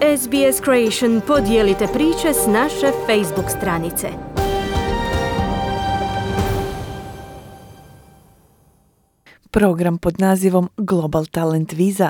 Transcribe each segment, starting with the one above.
SBS Creation podijelite priče s naše Facebook stranice. Program pod nazivom Global Talent Visa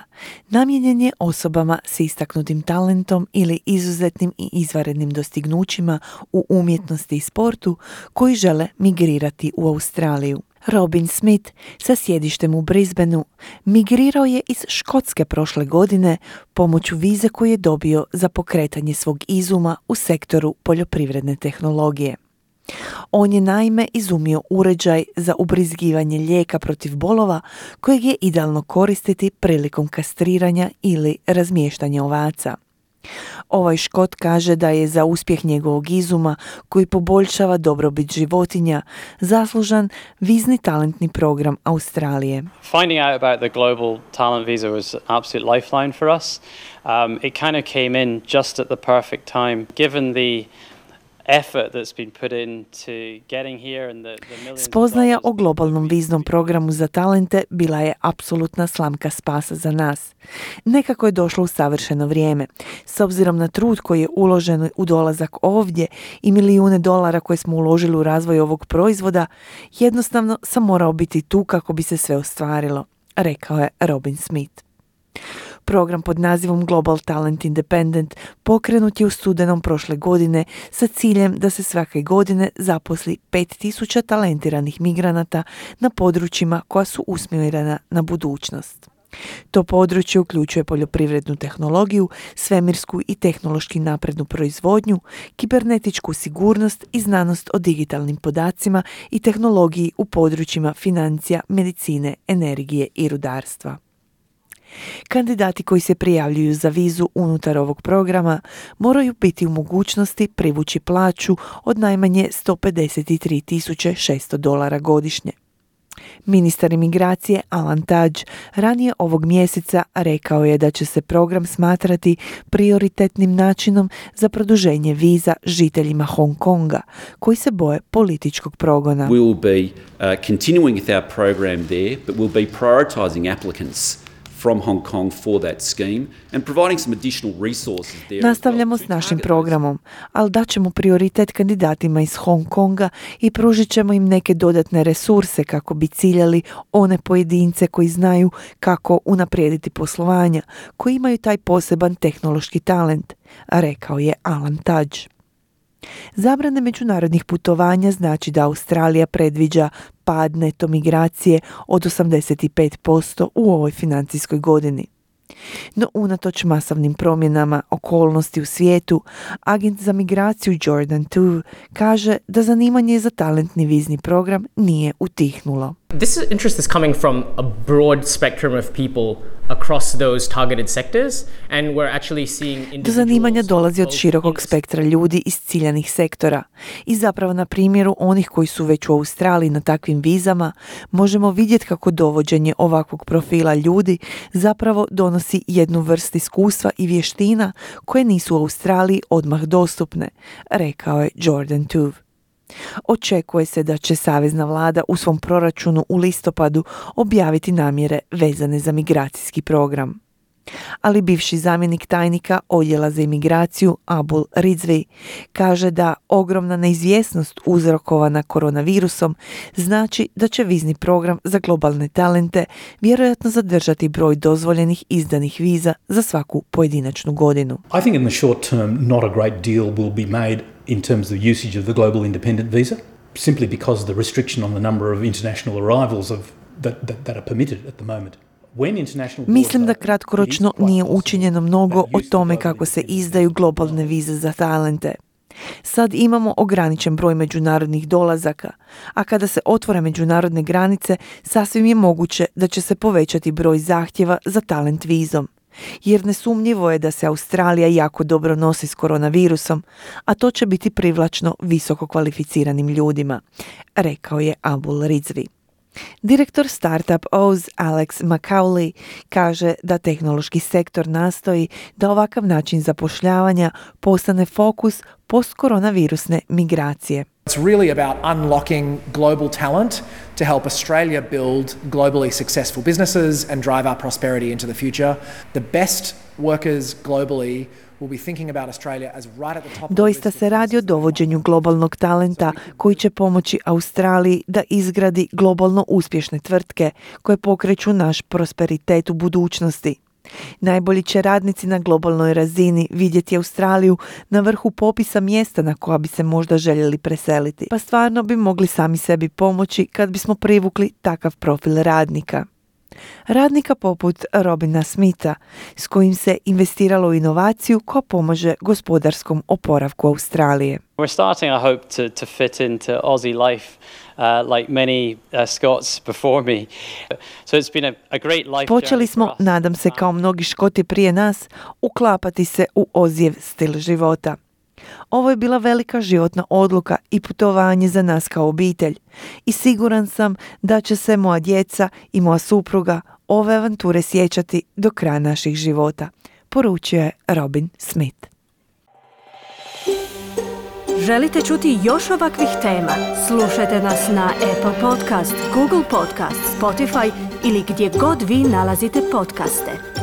namijenjen je osobama s istaknutim talentom ili izuzetnim i izvanrednim dostignućima u umjetnosti i sportu koji žele migrirati u Australiju. Robin Smith sa sjedištem u Brisbaneu migrirao je iz Škotske prošle godine pomoću vize koju je dobio za pokretanje svog izuma u sektoru poljoprivredne tehnologije. On je naime izumio uređaj za ubrizgivanje lijeka protiv bolova kojeg je idealno koristiti prilikom kastriranja ili razmještanja ovaca. Ovaj Škot kaže da je za uspjeh njegovog izuma, koji poboljšava dobrobit životinja, zaslužan vizni talentni program Australije. Finding out about the global talent visa was an absolute lifeline for us. It kind of came in just at the perfect time, given the effort that's been put into getting here and the millions. Spoznaja o globalnom viznom programu za talente bila je apsolutna slamka spasa za nas. Nekako je došlo u savršeno vrijeme. S obzirom na trud koji je uložen u dolazak ovdje i milijune dolara koje smo uložili u razvoj ovog proizvoda, jednostavno sam morao biti tu kako bi se sve ostvarilo, rekao je Robin Smith. Program pod nazivom Global Talent Independent pokrenut je u studenom prošle godine sa ciljem da se svake godine zaposli 5.000 talentiranih migranata na područjima koja su usmjerena na budućnost. To područje uključuje poljoprivrednu tehnologiju, svemirsku i tehnološki naprednu proizvodnju, kibernetičku sigurnost i znanost o digitalnim podacima i tehnologiji u područjima financija, medicine, energije i rudarstva. Kandidati koji se prijavljuju za vizu unutar ovog programa moraju biti u mogućnosti privući plaću od najmanje $153,600 godišnje. Ministar imigracije Alan Tudge ranije ovog mjeseca rekao je da će se program smatrati prioritetnim načinom za produženje viza žiteljima Hong Konga koji se boje političkog progona. We will be continuing with our program there, but we'll be prioritizing applicants from Hong Kong for that scheme and providing some additional resources there. Nastavljamo s našim programom, ali daćemo prioritet kandidatima iz Hong Konga i pružit ćemo im neke dodatne resurse kako bi ciljali one pojedince koji znaju kako unaprijediti poslovanja, koji imaju taj poseban tehnološki talent, rekao je Alan Tudge. Zabrane međunarodnih putovanja znači da Australija predviđa pad neto migracije od 85% u ovoj financijskoj godini. No unatoč masovnim promjenama okolnosti u svijetu, agent za migraciju Jordan Tuve kaže da zanimanje za talentni vizni program nije utihnulo. This interest is coming from a broad spectrum of people across those targeted sectors, and we're actually seeing individuals. Do zanimanja dolazi od širokog spektra ljudi iz ciljanih sektora i zapravo na primjeru onih koji su već u Australiji na takvim vizama možemo vidjeti kako dovođenje ovakvog profila ljudi zapravo donosi jednu vrstu iskustva i vještina koje nisu u Australiji odmah dostupne, rekao je Jordan Tuve. Očekuje se da će savezna vlada u svom proračunu u listopadu objaviti namjere vezane za migracijski program. Ali bivši zamjenik tajnika odjela za imigraciju Abul Rizvi kaže da ogromna neizvjesnost uzrokovana koronavirusom znači da će vizni program za globalne talente vjerojatno zadržati broj dozvoljenih izdanih viza za svaku pojedinačnu godinu. I think in the short term not a great deal will be made in terms of usage of the global independent visa, simply because of the restriction on the number of international arrivals that are permitted at the moment. Mislim da kratkoročno nije učinjeno mnogo o tome kako se izdaju globalne vize za talente. Sad imamo ograničen broj međunarodnih dolazaka, a kada se otvore međunarodne granice, sasvim je moguće da će se povećati broj zahtjeva za talent vizom. Jer nesumnjivo je da se Australija jako dobro nosi s koronavirusom, a to će biti privlačno visoko kvalificiranim ljudima, rekao je Abul Rizvi. Direktor Startup Oz Alex McCauley kaže da tehnološki sektor nastoji da ovakav način zapošljavanja postane fokus postkoronavirusne migracije. It's really about unlocking global talent to help Australia build globally successful businesses and drive our prosperity into the future. The best workers globally will be thinking about Australia as right at the top of the Doista list se of radi o places dovođenju globalnog talenta koji će pomoći Australiji da izgradi globalno uspješne tvrtke koje pokreću naš prosperitet u budućnosti. Najbolji će radnici na globalnoj razini vidjeti Australiju na vrhu popisa mjesta na koja bi se možda željeli preseliti. Pa stvarno bi mogli sami sebi pomoći kad bismo privukli takav profil radnika. Radnika poput Robina Smitha, s kojim se investiralo u inovaciju koja pomaže gospodarskom oporavku Australije. We're starting, I hope, to fit into Aussie life like many Scots before me. So it's been a great life Počeli journey smo, for us. nadam se kao mnogi Škoti prije nas, uklapati se u Ozijev stil života. Ovo je bila velika životna odluka i putovanje za nas kao obitelj. I siguran sam da će se moja djeca i moja supruga ove avanture sjećati do kraja naših života, poručio je Robin Smith. Želite čuti još ovakvih tema? Slušajte nas na Apple Podcast, Google Podcast, Spotify ili gdje god vi nalazite podcaste.